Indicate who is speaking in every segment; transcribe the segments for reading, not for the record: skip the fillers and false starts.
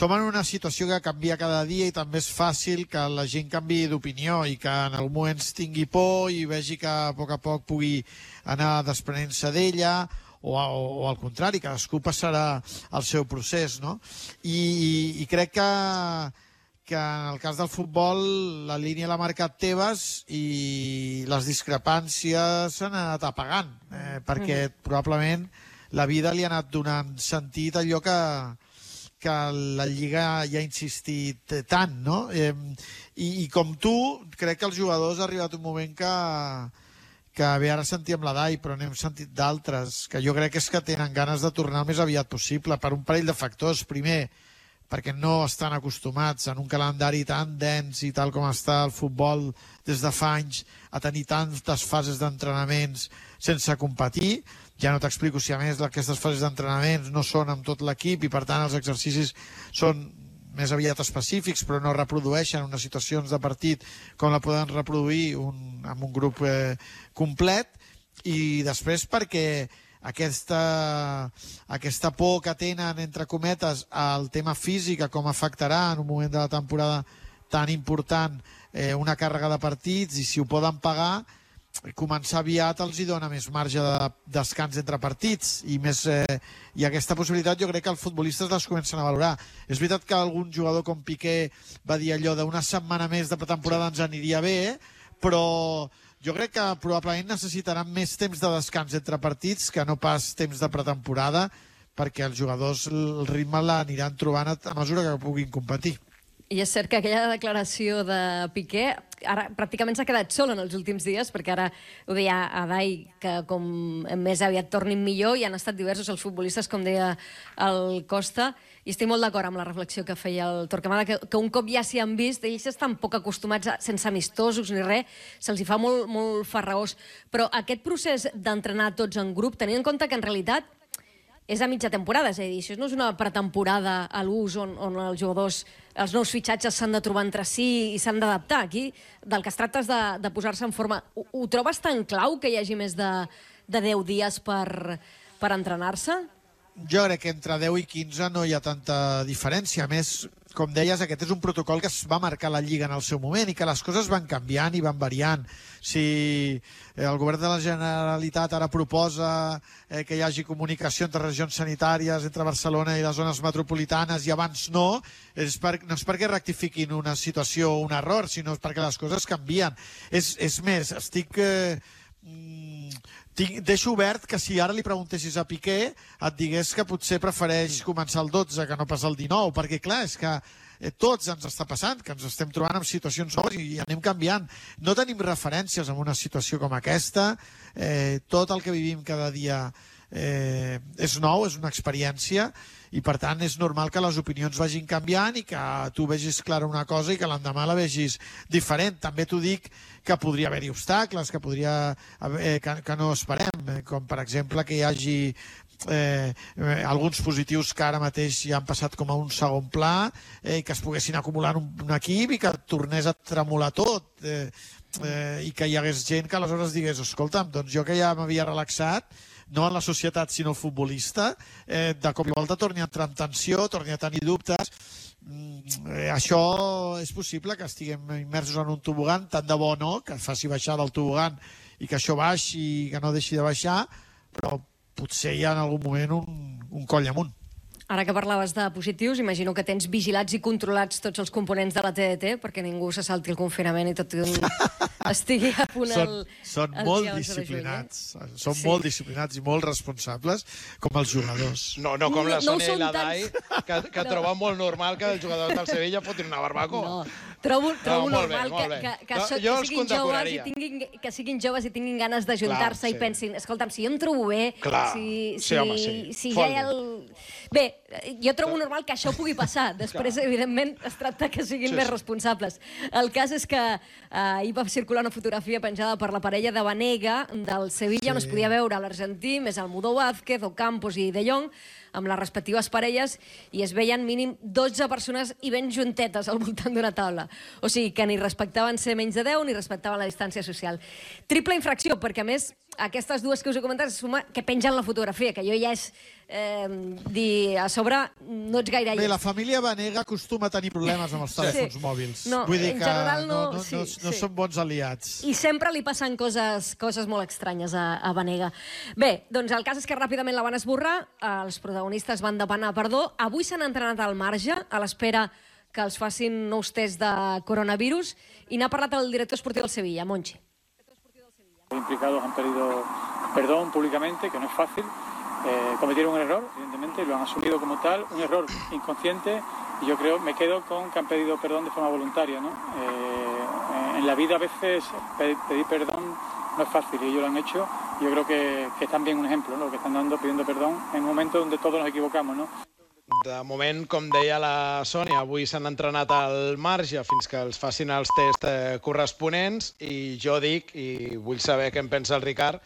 Speaker 1: som en una situació que canvia cada dia i també és fàcil que la gent canviï d'opinió i que en algun moment tingui por i vegi que a poc pugui anar desprenent-se d'ella o al contrari, cadascú passarà el seu procés, no? I crec que en el cas del futbol la línia l'ha marcat Tebas i les discrepàncies s'han anat apagant, perquè probablement la vida li ha anat donant sentit a allò que la Lliga ja ha insistit tant, no? I com tu, crec que els jugadors ha arribat un moment que bé, ara sentíem la Dai, però n'hem sentit d'altres, que jo crec que és que tenen ganes de tornar el més aviat possible, per un parell de factors. Primer, perquè no estan acostumats en un calendari tan dens i tal com està el futbol des de fa anys a tenir tantes fases d'entrenaments sense competir. Ja no t'explico si a més aquestes fases d'entrenaments no són amb tot l'equip i per tant els exercicis són més aviat específics però no reprodueixen unes situacions de partit com la poden reproduir amb un grup complet. I després perquè aquesta por que tenen, entre cometes, al tema físic, com afectarà en un moment de la temporada tan important una càrrega de partits, i si ho poden pagar, començar aviat els hi dona més marge de descans entre partits i aquesta possibilitat jo crec que els futbolistes les comencen a valorar. És veritat que algun jugador com Piqué va dir allò d'una setmana més de pretemporada ens aniria bé, però jo crec que probablement necessitaran més temps de descans entre partits que no pas temps de pretemporada, perquè els jugadors el ritme l'aniran trobant a mesura que puguin competir.
Speaker 2: I és cert que aquella declaració de Piqué ara pràcticament s'ha quedat sol en els últims dies, perquè ara ho deia a Dai, que com més aviat tornin millor, i han estat diversos els futbolistes, com deia el Costa, i estic molt d'acord amb la reflexió que feia el Torquemada, que un cop ja s'hi han vist, ells estan poc acostumats, sense amistosos ni res, se'ls hi fa molt, molt farragós. Però aquest procés d'entrenar tots en grup, tenint en compte que en realitat és a mitja temporada, és a dir, això no és una pretemporada a l'ús on els jugadors, els nous fitxatges s'han de trobar entre si i s'han d'adaptar. Aquí del que es tracta és de posar-se en forma. Ho trobes tan clau que hi hagi més de 10 dies per entrenar-se?
Speaker 1: Jo crec que entre 10 i 15 no hi ha tanta diferència. A més, com deies, aquest és un protocol que es va marcar la Lliga en el seu moment i que les coses van canviant i van variant. Si el govern de la Generalitat ara proposa que hi hagi comunicació entre regions sanitàries, entre Barcelona i les zones metropolitanes, i abans no és perquè rectifiquin una situació o un error, sinó perquè les coses canvien. És més, deixo obert que si ara li preguntessis a Piqué et digués que potser prefereix començar el 12 que no pas el 19, perquè clar, és que tots ens està passant, que ens estem trobant en situacions noves i anem canviant. No tenim referències en una situació com aquesta, tot el que vivim cada dia és nou, és una experiència, i per tant és normal que les opinions vagin canviant i que tu vegis clara una cosa i que l'endemà la vegis diferent. També t'ho dic que podria haver-hi obstacles, que no esperem, com per exemple que hi hagi alguns positius que ara mateix ja han passat com a un segon pla, que es poguessin acumular en un equip i que tornés a tremolar tot, i que hi hagués gent que aleshores digués, escolta'm, doncs jo que ja m'havia relaxat, no en la societat sinó el futbolista, de cop i volta torni a entrar en tensió, torni a tenir dubtes. Això és possible que estiguem immersos en un tobogan, tant de bo no, que faci baixar del tobogan i que això baixi i que no deixi de baixar, però potser hi ha en algun moment un coll amunt.
Speaker 2: Ara que parlaves de positius, imagino que tens vigilats i controlats tots els components de la TDT perquè ningú se salti el confinament i tot estigui a punt
Speaker 1: Són molt disciplinats. Són molt disciplinats i molt responsables, com els jugadors.
Speaker 3: No com la Sònia i la Dai, que troben molt normal que els jugadors del Sevilla fotin una barbacoa.
Speaker 2: Trobo normal que siguin joves i tinguin ganes d'ajuntar-se i pensin, escolta'm, si jo em trobo bé, si ja hi ha el... Bé, jo trobo normal que això pugui passar. Després, evidentment, es tracta que siguin més responsables. El cas és que ahir va circular una fotografia penjada per la parella de Banega del Sevilla, on es podia veure l'argentí, més Almudó Vázquez, Ocampos i De Jong, amb les respectives parelles i es veien mínim 12 persones i ben juntetes al voltant d'una taula. O sigui, que ni respectaven ser menys de 10 ni respectaven la distància social. Triple infracció, perquè a més aquestes dues que us he comentat suma que pengen la fotografia, que jo ja és dir a sobre no ets gaire
Speaker 1: Bé, la família Banega acostuma a tenir problemes amb els telèfons mòbils.
Speaker 2: No,
Speaker 1: vull dir
Speaker 2: en
Speaker 1: que
Speaker 2: general
Speaker 1: no
Speaker 2: sí.
Speaker 1: són bons aliats.
Speaker 2: I sempre li passen coses molt estranyes a Banega. Bé, doncs el cas és que ràpidament la van esborrar, els protagonistes van demanar perdó, avui s'han entrenat al marge a l'espera que els facin nous tests de coronavirus i n'ha parlat el director esportiu del Sevilla, Monchi.
Speaker 4: Los implicados han pedido perdón públicamente, que no es fácil. Cometieron un error, evidentemente, lo han asumido como tal, un error inconsciente, y yo creo, me quedo con que han pedido perdón de forma voluntaria, ¿no? En la vida a veces pedir perdón no es fácil, y ellos lo han hecho. Yo creo que es también un ejemplo, ¿no? Lo que están dando, pidiendo perdón en un momento donde todos nos equivocamos, ¿no?
Speaker 3: De moment, com deia la Sònia, avui s'han entrenat al marge fins que els facin els tests corresponents i jo dic, i vull saber què en pensa el Ricard,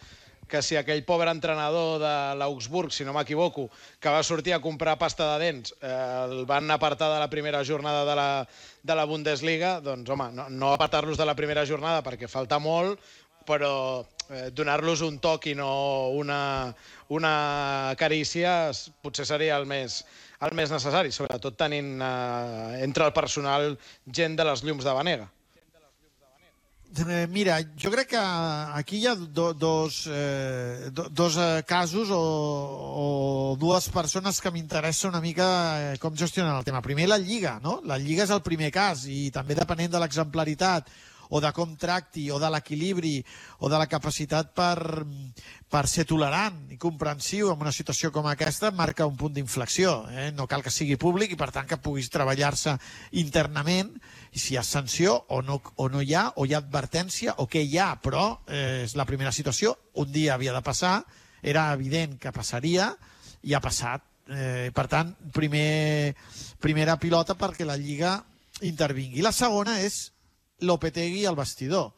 Speaker 3: que si aquell pobre entrenador de l'Augsburg, si no m'equivoco, que va sortir a comprar pasta de dents, el van apartar de la primera jornada de la Bundesliga, doncs, home, no apartar-los de la primera jornada perquè falta molt, però donar-los un toc i no una carícia potser seria el més necessari, sobretot tenint entre el personal gent de les llums de Banega.
Speaker 1: Mira, jo crec que aquí hi ha dos casos o dues persones que m'interessa una mica com gestionen el tema. Primer, la Lliga, no? La Lliga és el primer cas i també depenent de l'exemplaritat o de com tracti, o de l'equilibri, o de la capacitat per ser tolerant i comprensiu en una situació com aquesta, marca un punt d'inflexió. No cal que sigui públic i, per tant, que puguis treballar-se internament, i si hi ha sanció o no hi ha, o hi ha advertència, o què hi ha, però és la primera situació. Un dia havia de passar, era evident que passaria, i ha passat. Per tant, primera pilota perquè la Lliga intervingui. La segona és Lopetegui al vestidor,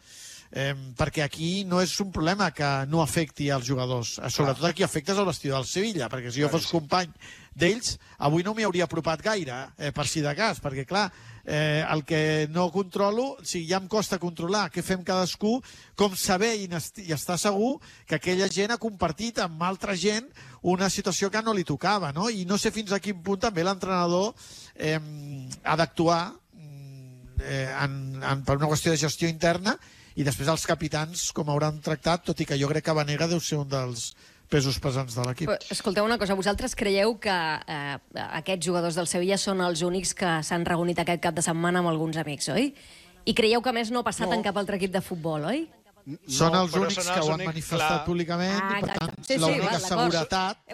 Speaker 1: perquè aquí no és un problema que no afecti als jugadors, sobretot aquí afectes al vestidor del Sevilla, perquè si jo fos company d'ells, avui no m'hi hauria apropat gaire, per si de cas, perquè clar, el que no controlo, si ja em costa controlar què fem cadascú, com saber i estar segur que aquella gent ha compartit amb altra gent una situació que no li tocava, no? I no sé fins a quin punt també l'entrenador ha d'actuar per una qüestió de gestió interna, i després els capitans com hauran tractat, tot i que jo crec que Banega deu ser un dels pesos pesants de l'equip.
Speaker 2: Escolteu una cosa, vosaltres creieu que aquests jugadors del Sevilla són els únics que s'han reunit aquest cap de setmana amb alguns amics, oi? I creieu que més no ha passat en cap altre equip de futbol, oi?
Speaker 1: Són els únics que ho han manifestat públicament i, per tant,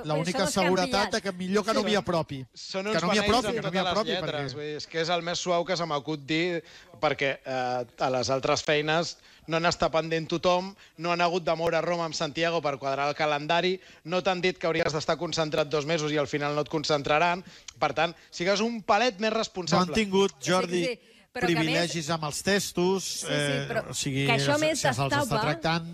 Speaker 1: l'única seguretat que millor que no m'hi apropi.
Speaker 3: Són uns beneïts amb totes les lletres. És que és el més suau que se m'acut dir, perquè a les altres feines no n'està pendent tothom, no han hagut de moure Roma amb Santiago per quadrar el calendari, no t'han dit que hauries d'estar concentrat 2 mesos i al final no et concentraran. Per tant, sigues un palet més responsable.
Speaker 1: No han tingut, Jordi, privilegis amb els testos, o sigui,
Speaker 2: que això més
Speaker 1: se'ls està tractant...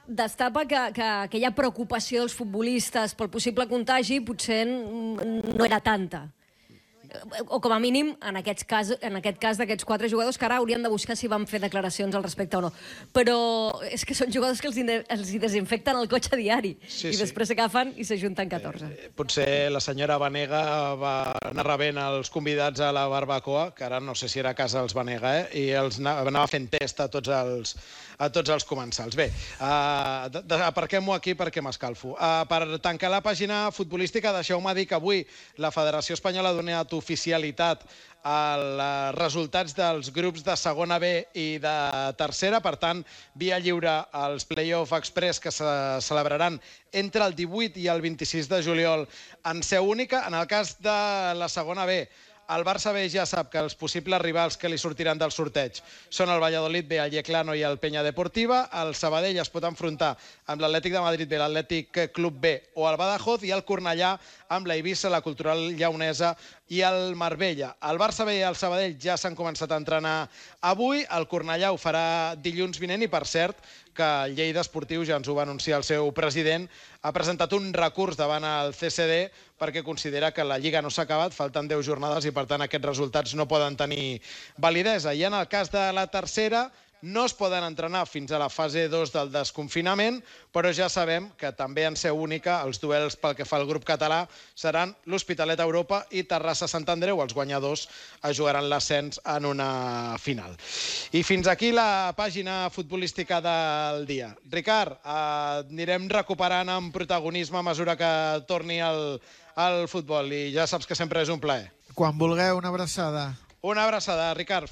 Speaker 2: Destapa que aquella preocupació dels futbolistes pel possible contagi potser no era tanta. O com a mínim, en aquest cas d'aquests 4 jugadors, que ara haurien de buscar si van fer declaracions al respecte o no. Però és que són jugadors que els hi desinfecten el cotxe diari i després s'agafen i s'ajunten 14.
Speaker 3: Potser la senyora Banega va anar rebent els convidats a la barbacoa, que ara no sé si era a casa dels Banega, i els anava fent test a tots els comensals. Bé, aparquem-ho aquí perquè m'escalfo. Per tancar la pàgina futbolística, deixeu-me dir que avui la Federació Espanyola ha donat oficialitat als resultats dels grups de segona B i de tercera. Per tant, via lliure als Play-off Express que se celebraran entre el 18 i el 26 de juliol en seu única. En el cas de la segona B, el Barça B ja sap que els possibles rivals que li sortiran del sorteig són el Valladolid B, el Yeclano i el Peña Deportiva. El Sabadell es pot enfrontar amb l'Atlètic de Madrid B, l'Atlètic Club B o el Badajoz, i el Cornellà amb la Eivissa, la Cultural Lleonesa i el Marbella. El Barça B i el Sabadell ja s'han començat a entrenar avui, el Cornellà ho farà dilluns vinent i, per cert, que el Lleida Esportiu, ja ens ho va anunciar el seu president, ha presentat un recurs davant el CCD perquè considera que la Lliga no s'ha acabat, falten 10 jornades i, per tant, aquests resultats no poden tenir validesa. I en el cas de la tercera, no es poden entrenar fins a la fase 2 del desconfinament, però ja sabem que també en seu única els duels pel que fa al grup català seran l'Hospitalet Europa i Terrassa-Sant Andreu. Els guanyadors es jugaran l'ascens en una final. I fins aquí la pàgina futbolística del dia. Ricard, anirem recuperant amb protagonisme a mesura que torni el futbol i ja saps que sempre és un plaer.
Speaker 1: Quan vulgueu, una abraçada.
Speaker 3: Una abraçada, Ricard.